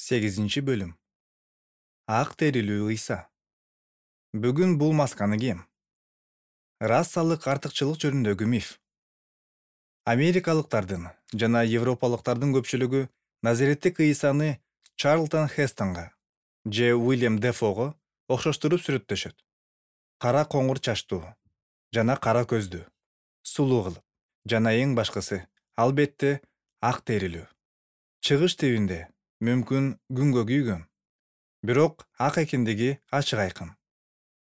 8-бөлүм. Ак терилүү Ыйса. Бүгүн бул масканы кийем. Расалык артыкчылык жөнүндөгү миф. Америкалыктардын жана европалыктардын көпчүлүгү Назареттик Ыйсаны Чарлтон Хестонго же Уильям Дефого окшоштуруп сүрөттөшөт. Кара коңур чачтуу жана кара көздүү, сулуу кылып жана эң башкысы, албетте, ак терилүү. Чыгыш тибинде мүмкүн күнгө күйгөн, бирок ак экендиги ачык айкын.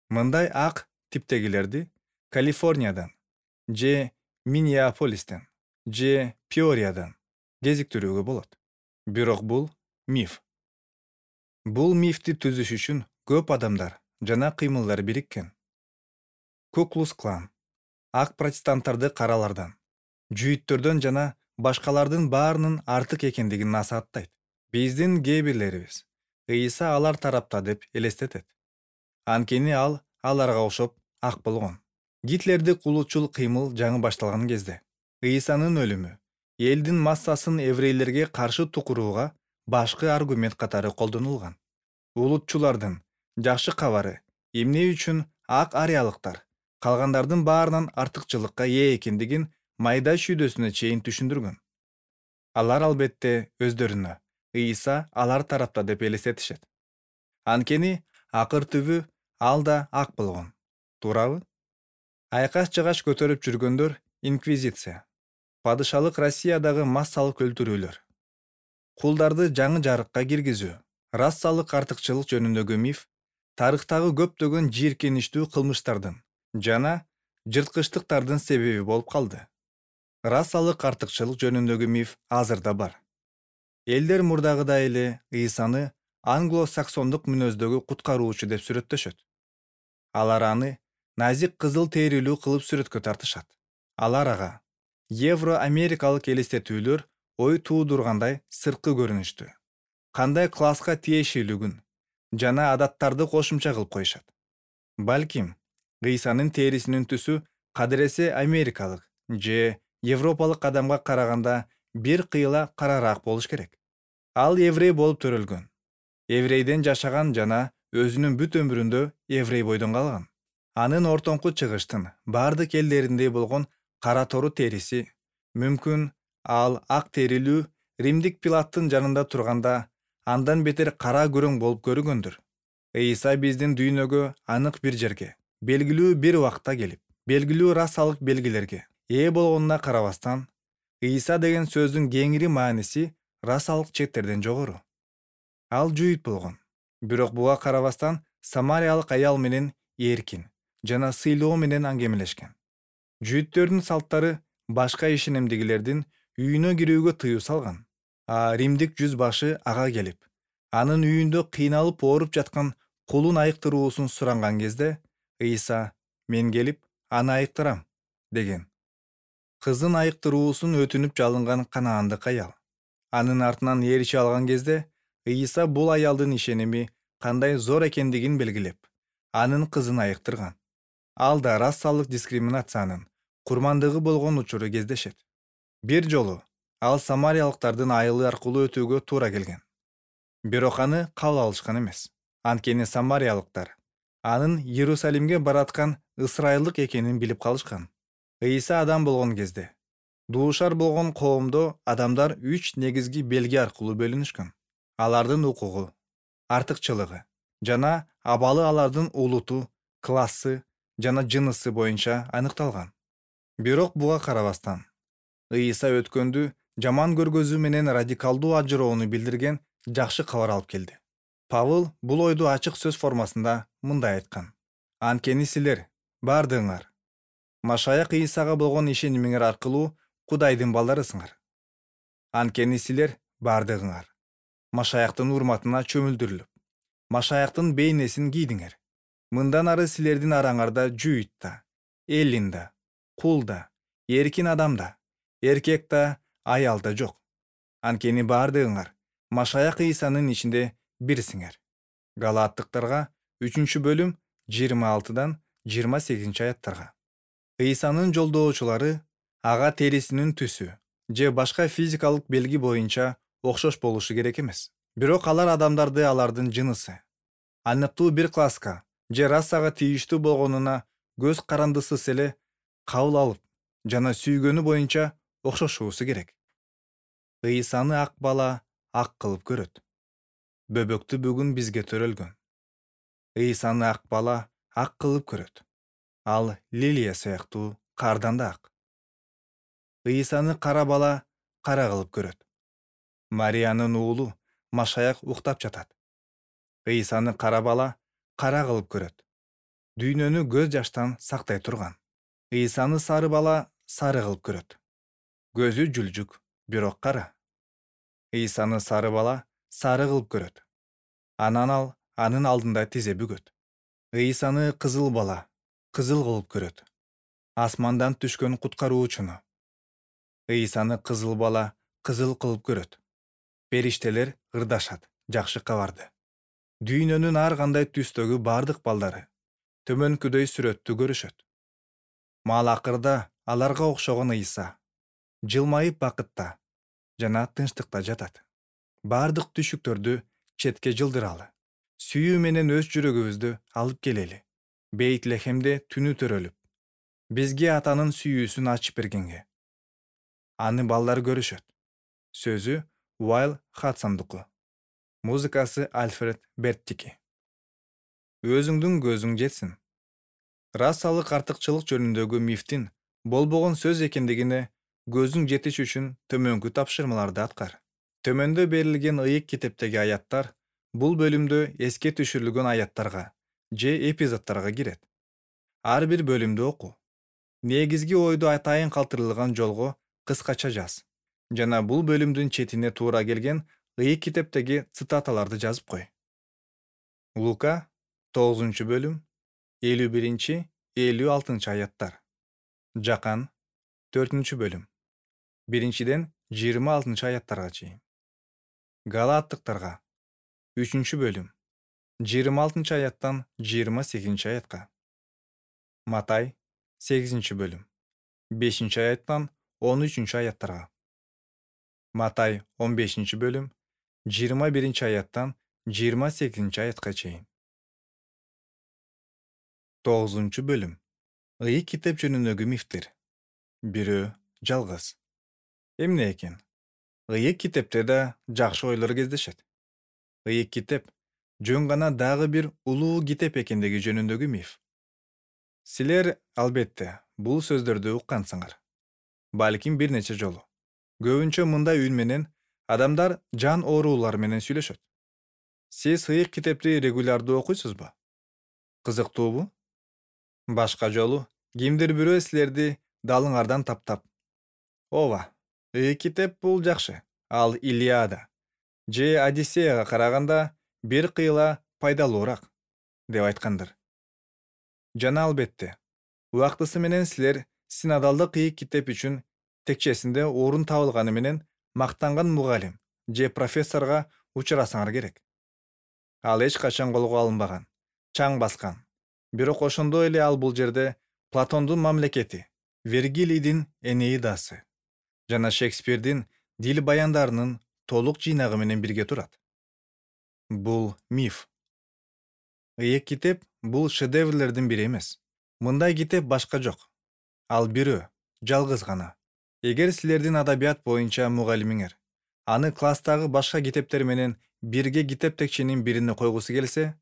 Мындай ак типтегилерди Калифорниядан же Миннеаполистен же Пиориядан кезиктирүүгө болот. Бирок бул миф. Бул мифти түзүш үчүн көп адамдар жана кыймылдар бириккен. Ку-клукс-клан ак протестанттарды каралардан, жүйүттөрдөн жана башкалардын баарынын артык экендигин насааттайт. Биздин кээ бирлерибиз Ыйса алар тарапта деп элестетет. Анткени ал аларга окшоп ак болгон. Гитлердик улутчул кыймыл жаңы башталган кезде Ыйсанын өлүмү элдин массасын еврейлерге каршы тукурууга башкы аргумент катары колдонулган. Улутчулардын жакшы кабары эмне үчүн ак ариялыктар калгандардын баарынан артыкчылыкка ээ экендигин майда шүйдөсүнө чейин түшүндүргөн. Алар албетте өздөрүнө Ыйса алар тарапта деп элестетишет. Анткени акыр түбү ал да ак болгон. Туурабы? Айкаш-жыгаш көтөрүп жүргөндөр инквизиция, падышалык Россиядагы массалык өлтүрүүлөр, кулдарды жаңы жарыкка киргизүү, расалык артыкчылык жөнүндөгү миф тарыхтагы көптөгөн жийиркеничтүү кылмыштардын жана жырткычтыктардын себеби болуп калды. Расалык артыкчылык жөнүндөгү миф азыр да бар. Элдер мурдагыдай эле Ыйсаны англо-саксондук мүнөздөгү куткаруучу деп сүрөттөшөт. Алар аны назик кызыл терилүү кылып сүрөткө тартышат. Алар ага евро-америкалык элестетүүлөр ой туудургандай сырткы көрүнүштү, кандай класска тиешелүүлүгүн жана адаттарды кошумча кылып коюшат. Балким, Ыйсанын терисинин түсү кадыресе америкалык же европалык адамга караганда бир кыйла карараак болуш керек. Ал еврей болуп төрөлгөн. Еврейден жашаган жана өзүнүн бүт өмүрүндө еврей бойдон калган. Анын ортоңку чыгыштын бардык элдериндей болгон кара тору териси, мүмкүн ал ак терилүү Римдик Пилаттын жанында турганда андан бетер кара күрөң болуп көрүнгөндүр. Ыйса биздин дүйнөгө анык бир жерге, белгилүү бир убакта келип, белгилүү расалык белгилерге ээ болгонуна карабастан, Ыйса деген сөздүн кеңири мааниси расалык четтерден жогору. Ал жүйүт болгон, бирок буга карабастан самариялык аял менен эркин жана сыйлоо менен аңгемелешкен. Жүйүттөрдүн салттары башка ишенимдегилердин үйүнө кирүүгө тыюу салган. Римдик жүз башы ага келип, анын үйүндө кыйналып ооруп жаткан кулун айыктыруусун суранган кезде, Ыйса «Мен келип, аны айыктырам» деген. Кызын айыктыруусун өтүнүп жалынган канаандык аял. Анын артынан ээрчи алган кезде, Ыйса бул аялдын ишеними кандай зор экендигин белгилеп, анын кызын айыктырган. Ал да расалык дискриминациянын курмандыгы болгон учуру кездешет. Бир жолу ал самариялыктардын айылы аркылуу өтүүгө туура келген. Бирок аны кабыл алышкан эмес. Анткени самариялыктар анын Иерусалимге бараткан ысырайылдык экенин билип калышкан. Ыйса адам болгон кезде дуушар болгон коомдо адамдар 3 негизги белги аркылуу бөлүнүшкөн. Алардын укугу, артыкчылыгы жана абалы алардын улуту, классы жана жынысы боюнча аныкталган. Бирок буга карабастан, Ыйса өткөндү жаман көргөзүү менен радикалдуу ажыроону билдирген жакшы кабар алып келди. Павыл бул ойду ачык сөз формасында мындай айткан: «Анткени силер бардыгыңар Машаяк Ыйсага болгон ишенимиңер аркылуу Кудайдын балдарысыңар. Анткени силер бардыгыңар Машаяктын урматына чөмүлдүрүлүп, Машаяктын бейнесин кийдиңер. Мындан ары силердин араңарда жүйүт да, эллин да, кул да, эркин адам да, эркек да, аял да жок. Анткени бардыгыңар Машаяк Ыйсанын ичинде бирсиңер». Галааттыктарга 3-бөлүм 26-28 аяттарга. Ыйсанын жолдоочулары ага терисинин түсү же башка физикалык белги боюнча окшош болушу керек эмес. Бирок алар адамдарды алардын жынысы, аныктуу бир класска же расага тийиштүү болгонуна көз карандысыз эле кабыл алып жана сүйгөнү боюнча окшошуусу керек. Ыйсаны ак бала ак кылып көрөт. Бөбөктү бүгүн бизге төрөлгөн. Ыйсаны ак бала ак кылып көрөт. Ал лилия сыяктуу кардан да ак. Ыйсаны кара бала кара кылып көрөт. Мариянын уулу Машаяк уктап жатат. Ыйсаны кара бала кара кылып көрөт. Дүйнөнү көз жаштан сактай турган. Ыйсаны сары бала сары кылып көрөт. Көзү жүлжүк, бирок кара. Ыйсаны сары бала сары кылып көрөт. Анан ал анын алдында тизе бүгөт. Ыйсаны кызыл бала кызыл кылып көрөт. Асмандан түшкөн куткаруучуну. Ыйсаны кызыл бала кызыл кылып көрөт. Периштелер ырдашат жакшы кабарды. Дүйнөнүн ар кандай түстөгү бардык балдары төмөнкүдөй сүрөттү көрүшөт. Мал акырда аларга окшогон Ыйса жылмайып бакытта жана тынчтыкта жатат. Бардык түшүктөрдү четке жылдыралы. Сүйүү менен өз жүрөгүбүздү алып келели. Бейтлехемде түнү төрөлүп, бизге атанын сүйүүсүн ачып бергенге. Аны балдар көрүшөт. Сөзү Уайл Хадсондуку. Музыкасы Альфред Берттики. Өзүңдүн көзүң жетсин. Расалык артыкчылык жөнүндөгү мифтин болбогон сөз экендигине көзүң жетиш үчүн төмөнкү тапшырмаларды аткар. Төмөндө берилген ыйык китептеги аяттар бул бөлүмдө эске түшүрүлгөн аяттарга же эпизоддорго кирет. Ар бир бөлүмдү оку. Негизги ойду атайын калтырылган жолго кыскача жаз. Жана бул бөлүмдүн четине туура келген ыйык китептеги цитаталарды жазып кой. Лука 9 бөлүм 51-56 аяттар. Жакан 4 бөлүм 1-26 аяттарга чейин. Галаттыктарга 3 бөлүм 26 аяттан 28 аятка. Матай 8 бөлүм 5 аяттан 13 аяттарга. Матай 15 бөлүм 21 аяттан 28 аятка чейин. 9 бөлүм ыйык китеп жөнүндөгү мифтер. Бирөө жалгыз. Эмне экен? Ыйык китепте да жакшы ойлор кездешет. Ыйык китеп жөн гана дагы бир улуу китеп экендиги жөнүндөгү миф. Силер албетте бул сөздөрдү уккансыңар. Балким бир нече жолу. Көбүнчө мындай үн менен адамдар жан оорулар менен сүйлөшөт. Сиз ыйык китепти регулярдуу окуйсузбу? Кызыктуубу? Башка жолу кимдир бирөө силерди далыңардан таптап: "Ооба, ыйык китеп бул жакшы. Ал Илиада же Одиссеяга караганда бир кыйла пайдалуураак" деп айткандыр. Жана албетте, убактысы менен силер синодалдык ыйык китеп үчүн текчесинде орун табылганы менен мактанган мугалим же профессорго учурасаңар керек. Ал эч качан колго алынбаган, чаң баскан. Бирок ошондой эле ал бул жерде Платондун мамлекети, Вергилийдин Энеидасы жана Шекспирдин дил баяндарынын толук жыйнагы менен бирге турат. Бул миф. Ыйык китеп бул шедеврлердин бири эмес. Мындай китеп башка жок. Ал бирөө, жалгыз гана. Эгер силердин адабият боюнча мугалимиңер аны класстагы башка китептер менен бирге китеп текченин бирине койгусу келсе,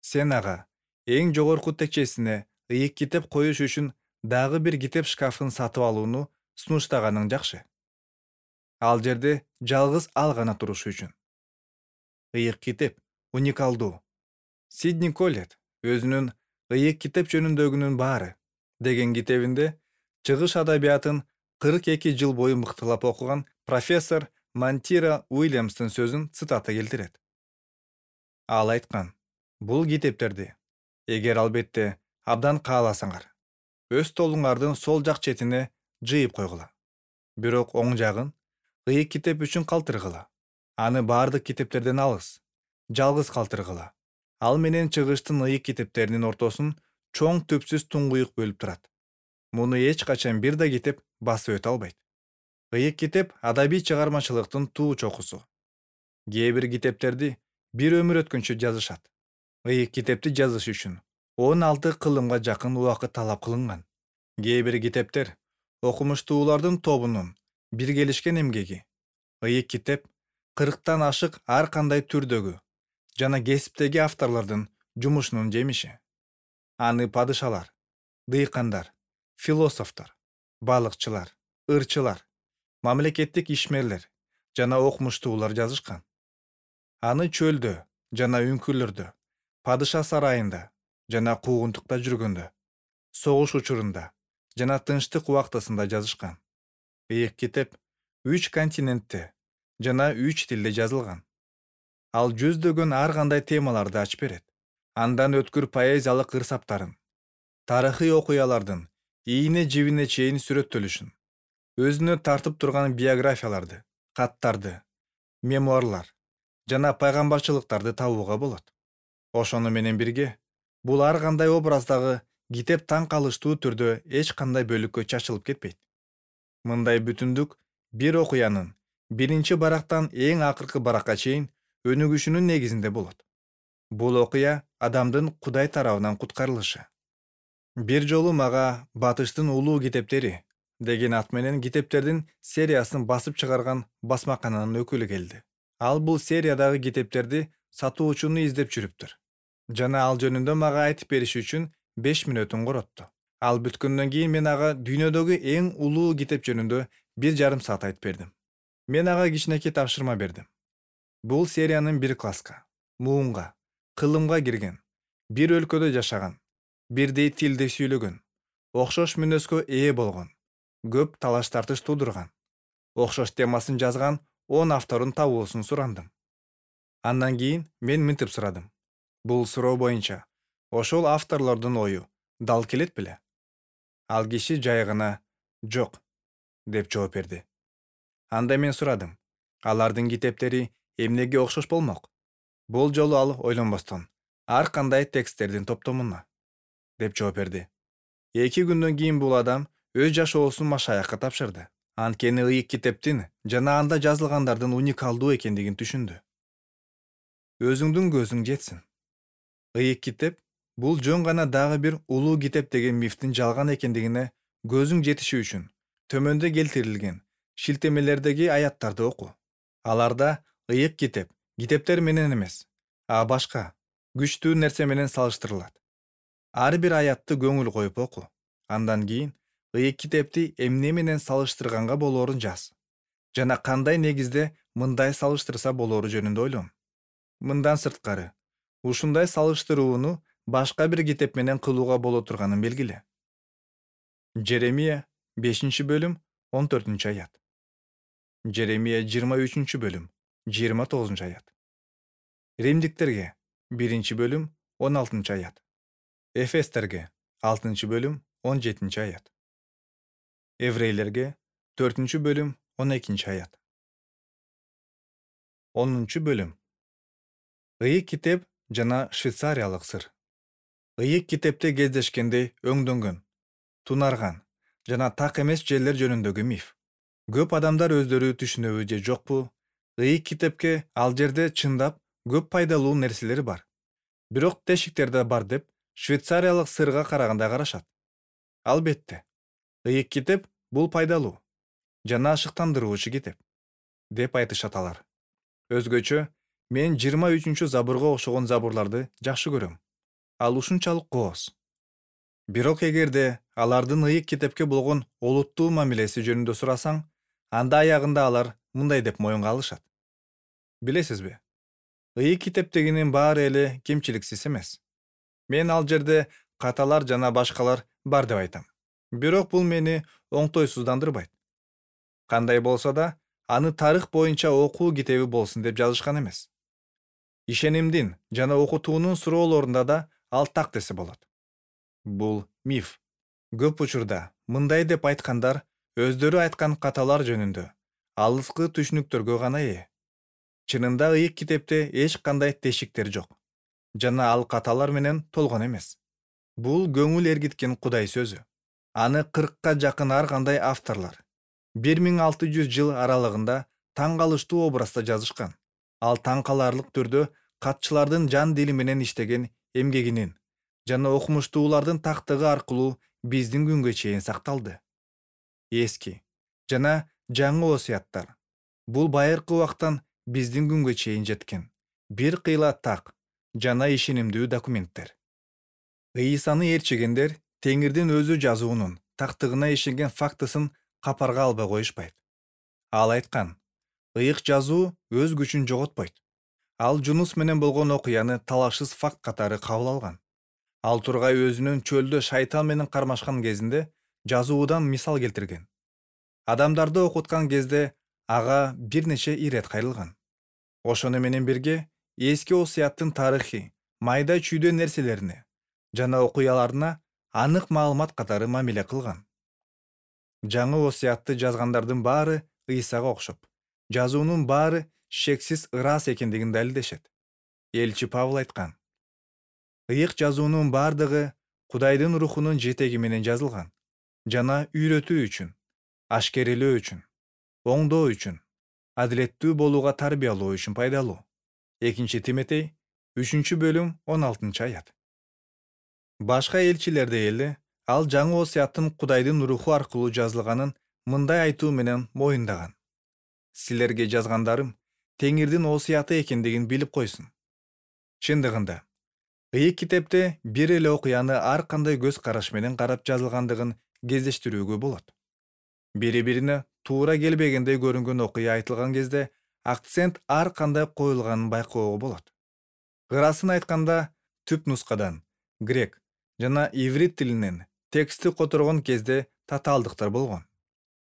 сен ага эң жогорку текчесине ыйык китеп коюш үчүн дагы бир китеп шкафын сатып алууну сунуштаганың жакшы. Ал жерде жалгыз ал гана турушу үчүн. Ыйык китеп уникалдуу. Сидни Коллет өзүнүн "Ыйык китеп жөнүндөгүнүн баары" деген китебинде чыгыш адабиятын 42 жыл бою мыктылап окуган профессор Мантира Уильямстын сөзүн цитата келтирет. Ал айткан: "Бул китептерди, эгер албетте абдан кааласаңар, өз столуңардын сол жак четине жыйып койгула. Бирок оң жагын ыйык китеп үчүн калтыргыла. Аны бардык китептерден алыс, жалгыз калтыргыла. Ал менен чыгыштын ыйык китептеринин ортосун чоң түпсүз туңгуюк бөлүп турат. Муну эч качан бир да китеп басып өтө албайт. Ыйык китеп адабий чыгармачылыктын туу чокусу. Кээ бир китептерди бир өмүр өткөнчө жазышат. Ыйык китепти жазыш үчүн 16 кылымга жакын убакыт талап кылынган. Кээ бир китептер окумуштуулардын тобунун биргелишкен эмгеги. Ыйык китеп 40тан ашык ар кандай түрдөгү жана кесиптеги авторлордун жумушунун жемиши. Аны падышалар, дыйкандар, философтор, балыкчылар, ырчылар, мамлекеттик ишмерлер жана окумуштуулар жазышкан. Аны чөлдө жана үңкүрлөрдө, падыша сарайында жана куугунтукта жүргөндө, согуш учурунда жана тынчтык убактысында жазышкан. Ыйык китеп 3 континентте жана 3 тилде жазылган. Ал жүздөгөн ар кандай темаларды ачып берет. Андан өткүр поэзиялык ырсаптарын, тарыхый окуялардын ийине жибине чейин сүрөттөлүшүн, өзүнө тартып турган биографияларды, каттарды, мемуарлар жана пайгамбарчылыктарды табууга болот. Ошону менен бирге, бул ар кандай образдагы китеп таң калыштуу түрдө эч кандай бөлүккө чачылып кетпейт. Мындай бүтүндүк бир окуянын биринчи барактан эң акыркы баракка чейин өнүгүшүнүн негизинде болот. Бул окуя адамдын Кудай тарабынан куткарылышы. Бир жолу мага Батыштын улуу китептери деген ат менен китептердин сериясын басып чыгарган басмакананын өкүлү келди. Ал бул сериядагы китептерди сатуучуну издеп жүрүптүр. Жана ал жөнүндө мага айтып бериши үчүн 5 мүнөтүн коротту. Ал бүткөндөн кийин мен ага дүйнөдөгү эң улуу китеп жөнүндө 1,5 саат айтып бердим. Мен ага кичинекей тапшырма бердим. Бул сериянын бир класска, муунга, кылымга кирген, бир өлкөдө жашаган, бирдей тилди сүйлөгөн, окшош мүнөзгө ээ болгон, көп талаш тартыш туудурган, окшош темасын жазган 10 автордун табуусун сурандым. Андан кийин мен мынтип сурадым. Бул суроо боюнча ошол авторлордун ою дал келет беле? Ал киши жай гана «жок» деп жооп берди. Анда мен сурадым. Алардын китептери эмнеге окшош болмок? Бул жолу ал ойлонбостон ар кандай тексттердин топтомуна деп жооп берди. 2 күндөн кийин бул адам өз жашоосун машаякка тапшырды. Анткени ыйык китептин жана анда жазылгандардын уникалдуу экендигин түшүндү. Өзүңдүн көзүң жетсин. Ыйык китеп бул жөн гана дагы бир улуу китеп деген мифтин жалган экендигине көзүң жетиши үчүн төмөндө келтирилген шилтемелердеги аяттарды оку. Аларда ыйык китеп китептер менен эмес, а башка күчтүү нерсе менен салыштырылат. Ар бир аятты көңүл коюп оку. Андан кийин ыйык китепти эмне менен салыштырганга болоорун жаз. Жана кандай негизде мындай салыштырса болоору жөнүндө ойлон. Мындан сырткары, ушундай салыштырууну башка бир китеп менен кылууга боло турганын белгиле. Жеремия 5-бөлүм 14-аят. Жеремия 23-бөлүм 29-аят. Римдиктерге 1-бөлүм 16-аят. Эфестерге 6-бөлүм 17-аят. Еврейлерге 4-бөлүм 12-аят. 10-бөлүм. Ыйык китеп жана швейцариялык сыр. Ыйык китепте кездешкендей өңдөнгөн, тунарган жана так эмес жерлер жөнүндөгү миф. Көп адамдар өздөрү түшүнөбү же жокпу, ыйык китепке ал жерде чындап көп пайдалуу нерселер бар. Бирок тешиктер да бар деп швейцариялык сырга караганда карашат. Албетте, ыйык китеп бул пайдалуу жана ашыктандыруучу китеп деп айтышат алар. Өзгөчө мен 23-забурга окшогон забурларды жакшы көрөм. Ал ушунчалык кооз. Бирок эгерде алардын ыйык китепке болгон олуттуу мамилеси жөнүндө сурасаң, анда аягында алар мындай деп моюнга алышат. Билесизби? Ыйык китептегинин баары эле кемчиликсиз эмес. Мен ал жерде каталар жана башкалар бар деп айтам. Бирок бул мени оңтойсуздандырбайт. Кандай болсо да, аны тарых боюнча окуу китеби болсун деп жазышкан эмес. Ишенимдин жана окутуунун суроолорунда да ал так десе болот. Бул миф. Көп учурда мындай деп айткандар өздөрү айткан каталар жөнүндө алыскы түшүнүктөргө гана ээ. Чынында ыйык китепте эч кандай тешиктер жок. Жана ал каталар менен толгон эмес. Бул көңүл эргиткен Кудай сөзү. Аны 40-ка жакын ар кандай авторлор 1600 жыл аралыгында таң калыштуу образда жазышкан. Ал таң каларлык түрдө катчылардын жан дили менен иштеген эмгегинин жана окумуштуулардын тактыгы аркылуу биздин күнгө чейин сакталды. Эски жана жаңы осуяттар бул байыркы убактан биздин күнгө чейин жеткен бир кыйла так жана ишенимдүү документтер. Ыйсаны ээрчигендер Теңирдин өзү жазуунун тактыгына ишенген фактысын капарга албай коюшпайт. Ал айткан: ыйык жазуу өз күчүн жоготпойт. Ал Жунус менен болгон окуяны талашсыз факт катары кабыл алган. Ал тургай өзүнүн чөлдө шайтан менен кармашкан кезинде жазуудан мисал келтирген. Адамдарды окуткан кезде ага бир нече ирет кайрылган. Ошону менен бирге эски осуяттын тарыхый, майда чүйдө нерселерине жана окуяларына анык маалымат катары мамиле кылган. Жаңы осуятты жазгандардын баары Ыйсага окшоп, жазуунун баары шексиз ырас экендигин далилдешет. Элчи Павыл айткан: ыйык жазуунун бардыгы Кудайдын рухунун жетеги менен жазылган жана үйрөтүү үчүн, ашкерелөө үчүн, оңдоо үчүн, адилеттүү болууга тарбиялоо үчүн пайдалуу. 2 Тимотей 3-бөлүм 16-аят. Башка элчилерде эле ал жаңы осуяттын Кудайдын руху аркылуу жазылганын мындай айтуу менен моюндаган: силерге жазгандарым Теңирдин осуяты экендигин билип койсун. Чындыгында, ыйык китепте бир эле окуяны ар кандай көз караш менен карап жазылгандыгын кездештирүүгө болот. Бири-бирине туура келбегендей көрүнгөн окуя айтылган кезде акцент ар кандай коюлганын байкоого болот. Ырасын айтканда, түп нускадан грек жана иврит тилинен текстти которгон кезде татаалдыктар болгон.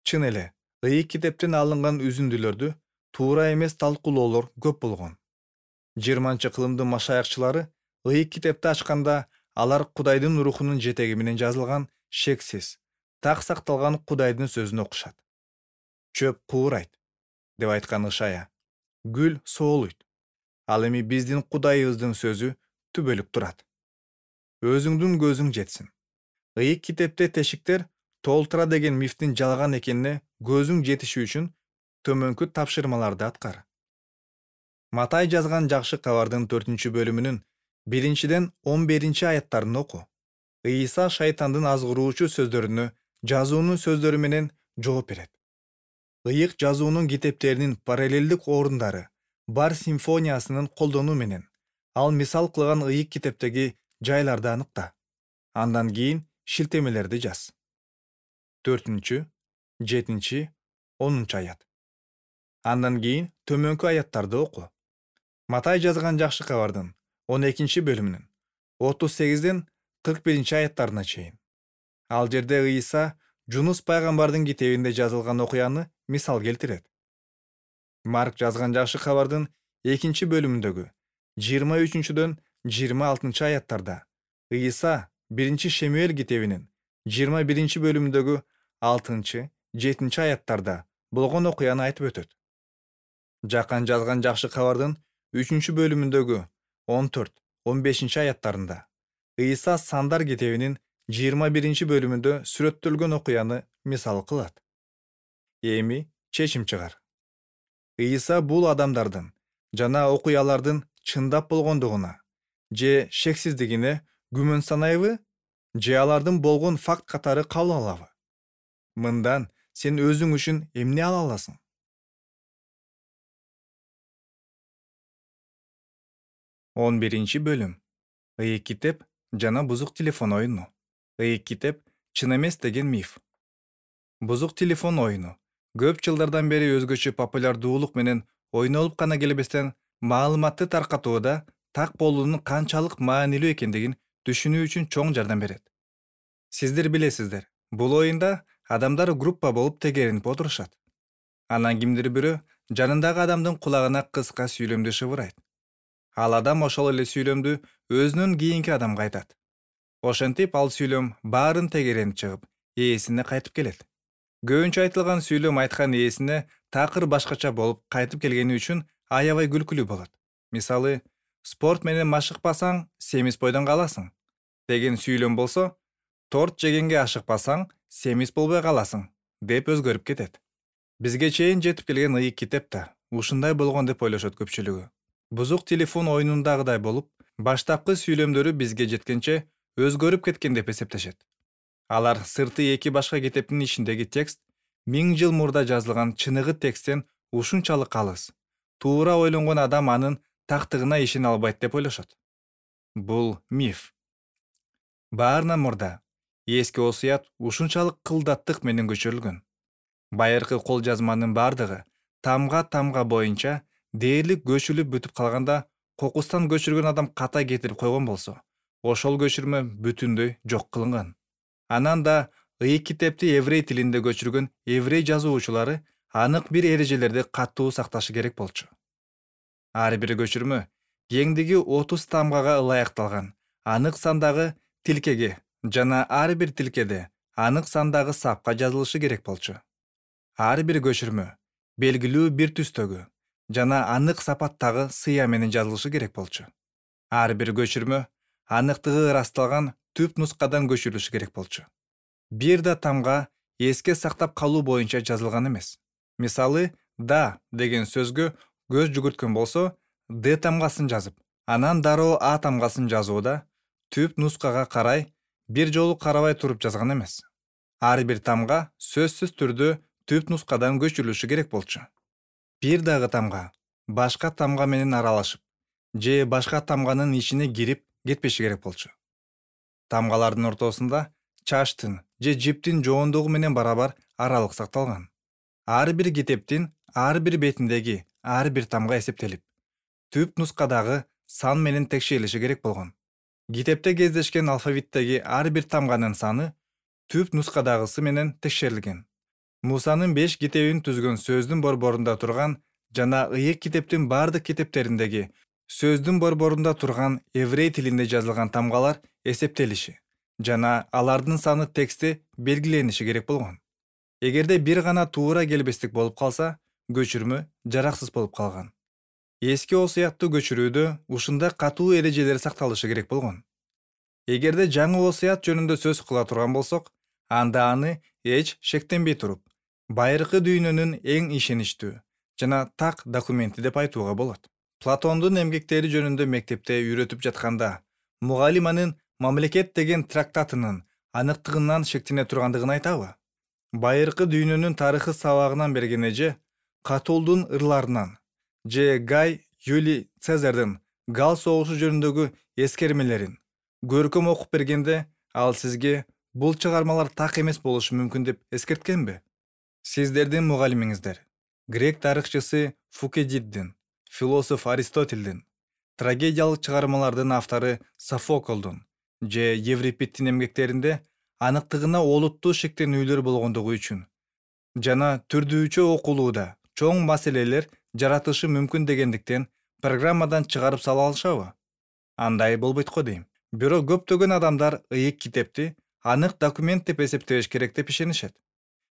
Чын эле, ыйык китептен алынган үзүндүлөрдү туура эмес талкуулоолор көп болгон. 20-кылымдын машаякчылары ыйык китепти ачканда алар Кудайдын рухунун жетеги менен жазылган шексиз, так сакталган Кудайдын сөзүн окушат. Чөп куурайт деп айткан Ышая, гүл соолуйт. Ал эми биздин Кудайыбыздын сөзү түбөлүк турат. Өзүңдүн көзүң жетсин. Ыйык китепте тешиктер толтура деген мифтин жалган экенине көзүң жетиши үчүн төмөнкү тапшырмаларды аткар. Матай жазган жакшы кабардын 4-бөлүмүнүн 1-11-аяттарын оку. Ыйса шайтандын азгыруучу сөздөрүнө жазуунун сөздөрү менен жооп берет. Ыйык жазуунун китептеринин параллелдик орундары бар симфониясынын колдонуу менен ал мисал кылган ыйык китептеги жайларды аныкта. Андан кийин шилтемелерди жаз. 4, 7, 10-аят. Андан кийин төмөнкү аяттарды оку. Матай жазган жакшы кабардын 12-бөлүмүнүн 38-41-аяттарына чейин. Ал жерде Ыйса Жунус пайгамбардын китебинде жазылган окуяны мисал келтирет. Марк жазган жакшы кабардын 2-бөлүмүндөгү 23-26-аяттарда Ыйса 1-Шемуэль китебинин 21-бөлүмүндөгү 6-7-аяттарда болгон окуяны айтып өтөт. Жакан жазган жакшы кабардын 3-бөлүмүндөгү 14-15-аяттарында Ыйса Сандар китебинин 21-бөлүмүндө сүрөттөлгөн окуяны мисал кылат. Эми чечим чыгар. Ыйса бул адамдардын жана окуялардын чындап болгондугуна же шексиздигине күмөн санайбы, же алардын болгон факт катары кабыл алабы? Мындан сен өзүң үчүн эмне ала аласың? 11-бөлүм. Ыйык китеп жана бузук телефон оюну. Ыйык китеп чын эмес деген миф. Бузук телефон оюну көп жылдардан бери өзгөчө популярдуулук менен ойнолуп гана келбестен маалыматты таркатууда так болуунун канчалык маанилүү экендигин түшүнүү үчүн чоң жардам берет. Сиздер билесиздер, бул оюнда адамдар группа болуп тегеренип отурушат. Анан кимдир бирөө жанындагы адамдын кулагына кыска сүйлөмдү шыбырайт. Ал адам ошол эле сүйлөмдү өзүнөн кийинки адамга айтат. Ошентип ал сүйлөм баарын тегеренип чыгып, ээсине кайтып келет. Көбүнчө айтылган сүйлөм айткан ээсине такыр башкача болуп кайтып келгени үчүн аябай күлкүлүү болот. Мисалы, спорт менен машыкпасаң, семиз бойдон каласың деген сүйлөм болсо, торт жегенге ашыкпасаң, семиз болбой каласың деп өзгөрүп кетет. Бизге чейин жетип келген ыйык китеп да ушундай болгон деп ойлошот көпчүлүгү. Бузук телефон оюнундагыдай болуп, баштапкы сүйлөмдөрү бизге жеткенче өзгөрүп кеткен деп эсептешет. Алар сырты эки башка китептин ичиндеги текст 1000 жыл мурда жазылган чыныгы тексттен ушунчалык алыс. Туура ойлонгон адам анын тактыгына ишене албайт деп ойлошот. Бул миф. Баарынан мурда эски осуят ушунчалык кылдаттык менен көчүрүлгөн. Байыркы кол жазманын бардыгы тамга боюнча дээрлик көчүрүлүп бүтүп калганда, кокустан көчүргөн адам ката кетирип койгон болсо, ошол көчүрмө бүтүндөй жок кылынган. Анан да ыйык китепти еврей тилинде көчүргөн еврей жазуучулары анык бир эрежелерди катуу сакташы керек болчу. Ар бир көчүрмө кеңдиги 30 тамгага ылайыкталган анык сандагы тилкеге жана ар бир тилкеде анык сандагы сапка жазылышы керек болчу. Ар бир көчүрмө белгилүү бир түстөгү жана анык сапаттагы сыя менен жазылышы керек болчу. Ар бир көчүрмө аныктыгы ырасталган түп нускадан көчүрүлүшү керек болчу. Бир да тамга эске сактап калуу боюнча жазылган эмес. Мисалы, да деген сөзгө көз жүгүрткөн болсо, д тамгасын жазып, анан дароо а тамгасын жазууда түп нускага карай бир жолу карабай туруп жазган эмес. Ар бир тамга сөзсүз түрдө түп нускадан көчүрүлүшү керек болчу. Бир дагы тамга башка тамга менен аралашып, же башка тамганын ичине кирип кетпеши керек болчу. Тамгалардын ортосунда чаштын же жиптин жоондугу менен барабар аралык сакталган. Ар бир китептин ар бир бетиндеги ар бир тамга эсептелип, түп нускадагы сан менен текшерилиши керек болгон. Китепте кездешкен алфавиттеги ар бир тамганын саны түп нускадагысы менен текшерилген. Мусанын 5 китебин түзгөн сөздүн борборунда турган жана ыйык китептин бардык китептериндеги сөздүн борборунда турган еврей тилинде жазылган тамгалар эсептелиши жана алардын саны текстте белгилениши керек болгон. Эгерде бир гана туура келбестик болуп калса, көчүрмө жараксыз болуп калган. Эски осуятты көчүрүүдө ушундай катуу эрежелер сакталышы керек болгон. Эгерде жаңы осуят жөнүндө сөз кыла турган болсок, анда аны эч шектенбей туруп, байыркы дүйнөнүн эң ишеничтүү жана так документи деп айтууга болот. Платондун эмгектери жөнүндө мектепте үйрөтүп жатканда, мугалим анын Мамлекет деген трактатынын аныктыгынан шектене тургандыгын айтабы? Байыркы дүйнөнүн тарыхы сабагынан берген эже Катулдун ырларынан же Гай Юлий Цезардын Гал согушу жөнүндөгү эскермелерин көркөм окуп бергенде, ал сизге бул чыгармалар так эмес болушу мүмкүн деп эскерткенби? Сиздердин мугалимиңиздер грек тарыхчысы Фукидиддин, философ Аристотелдин, трагедиялык чыгармалардын автору Софоклдун же Еврипидтин эмгектеринде аныктыгына олуттуу шектенүүлөр болгондугу үчүн жана түрдүүчө окулууда чоң маселелер жаратышы мүмкүн дегендиктен программадан чыгарып сала алышабы? Андай болбойт го дейм. Бирок көптөгөн адамдар ыйык китепти анык документ деп эсептеш керек деп ишенишет.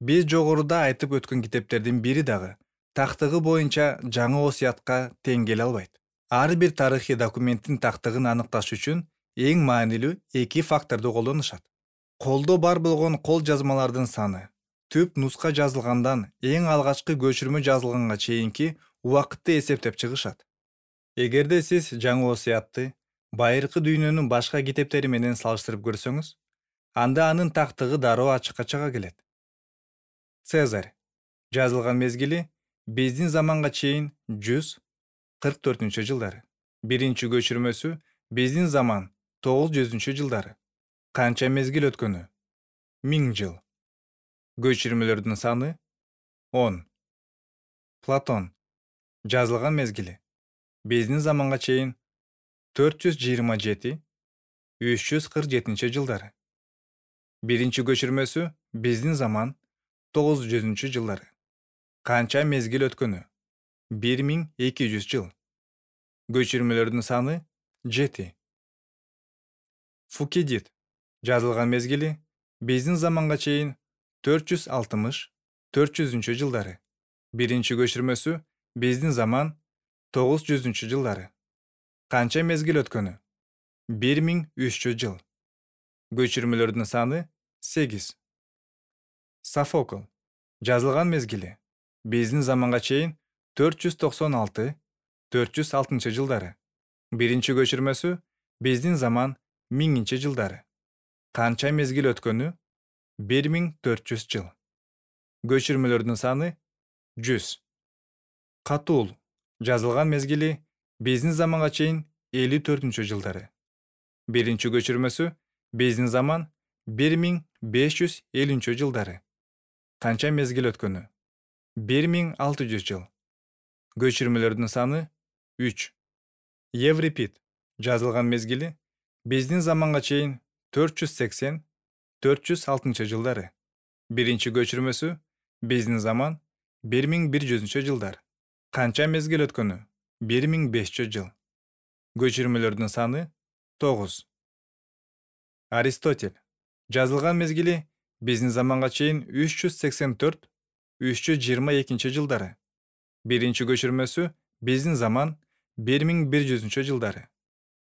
Биз жогоруда айтып өткөн китептердин бири дагы тактыгы боюнча жаңы осуятка тең келе албайт. Ар бир тарыхый документтин тактыгын аныкташ үчүн эң маанилүү эки факторду колдонушат. Колдо бар болгон кол жазмалардын саны, түп нуска жазылгандан эң алгачкы көчүрмө жазылганга чейинки убакытты эсептеп чыгышат. Эгерде сиз жаңы осуятты байыркы дүйнөнүн башка китептери менен салыштырып көрсөңүз, анда анын тактыгы дароо ачыкка чыга келет. Цезарь жазылган мезгили биздин заманга чейин 144-жылдары. Биринчи көчүрмөсү биздин заман 900-жылдары. Канча мезгил өткөнү? 1000 жыл. Көчүрмөлөрдүн саны 10. Платон жазылган мезгили биздин заманга чейин 427-347 жылдары. Биринчи көчүрмөсү биздин заман 900-жылдары. Канча мезгил өткөнү? 1200 жыл. Көчүрмөлөрдүн саны 7. Фукидид жазылган мезгили биздин заманга чейин 460-400 жылдары. Биринчи көчүрмөсү биздин заман 900 жылдары. Канча мезгил өткөнү? 1300 жыл. Көчүрмөлөрдүн саны 8. Софокл жазылган мезгили биздин заманга чейин 496-406 жылдары. Биринчи көчүрмөсү биздин заман 1000 жылдары. Канча мезгил өткөнү 1400 жыл. Көчүрмөлөрдүн саны 100. Катуул жазылган мезгили биздин заманга чейин 54 жылдары. Биринчи көчүрмөсү биздин заман 1550 жылдары. Канча мезгил өткөнү 1600 жыл. Көчүрмөлөрдүн саны 3. Еврипид жазылган мезгили биздин заманга чейин 480-406 жылдары. Биринчи көчүрмөсү биздин заман 1100 жылдар. Канча мезгил өткөнү 1500 жыл. Көчүрмөлөрдүн саны 9. Аристотель жазылган мезгили биздин заманга чейин 384-322 жылдары. Биринчи көчүрмөсү биздин заман 1100 жылдары.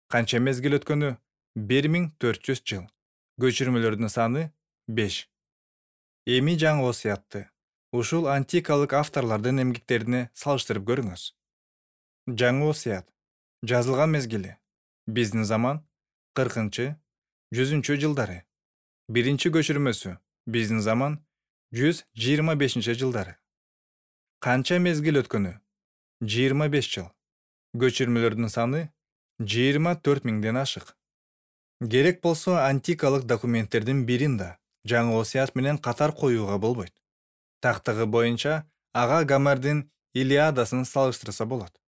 Канча мезгил өткөнү 1400 жыл. Көчүрмөлөрдүн саны 5. Эми жаңы осуятты ушул антикалык авторлордун эмгектерине салыштырып көрүңүз. Жаңы осуят жазылган мезгили биздин заман 40-100 жылдары. Биринчи көчүрмөсү биздин заман 125 жылдары. Канча мезгил өткөнү 25 жыл. Көчүрмөлөрдүн саны 24 000ден ашык. Керек болсо антикалык документтердин бирин да жаңы осуят менен катар коюуга болбойт. Тактыгы боюнча ага Гомердин Илиадасын салыштырса болот.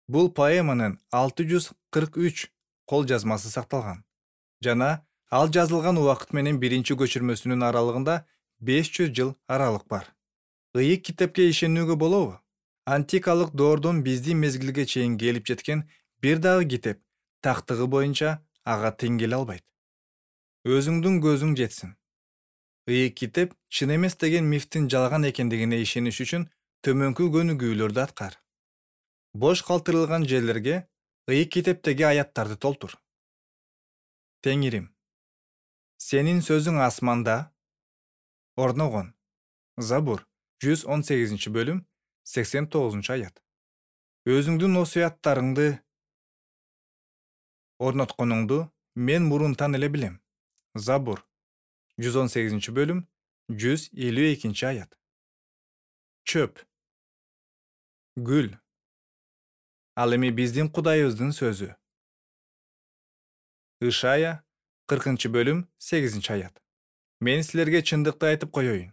Бул поэманын 643 кол жазмасы сакталган. Жана ал жазылган убакыт менен биринчи көчүрмөсүнүн аралыгында 500 жыл аралык бар. Ыйык китепке ишенүүгө болобу? Антикалык доордон биздин мезгилге чейин келип жеткен бир дагы китеп тактыгы боюнча ага тең келе албайт. Өзүңдүн көзүң жетсин. Ыйык китеп чын эмес деген мифтин жалган экендигине ишениш үчүн төмөнкү көнүгүүлөрдү аткар. Бош калтырылган жерлерге ыйык китептеги аяттарды толтур. Теңирим, сенин сөзүң асманда орногон. Забур 118 бөлүм 89 аят. Өзүңдүн осуяттарыңды орнотконуңду мен мурунтан эле билем. Забур 118 бөлүм 152 аят. Чөп, гүл. Ал эми биздин Кудайыбыздын сөзү. Ишая 40 бөлүм 8 аят. Мен силерге чындыкты айтып коеюн.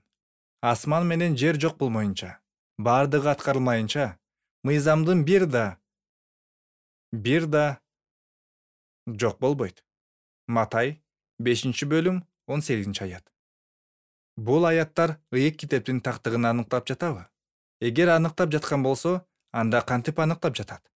Асман менен жер жок болмоюнча, бардыгы аткарылмайынча, мыйзамдын бир да жок болбойт. Матай 5 бөлүм 18 аят. Бул аяттар ыйык китептин тактыгын аныктап жатабы? Эгер аныктап жаткан болсо, анда кантип аныктап жатат?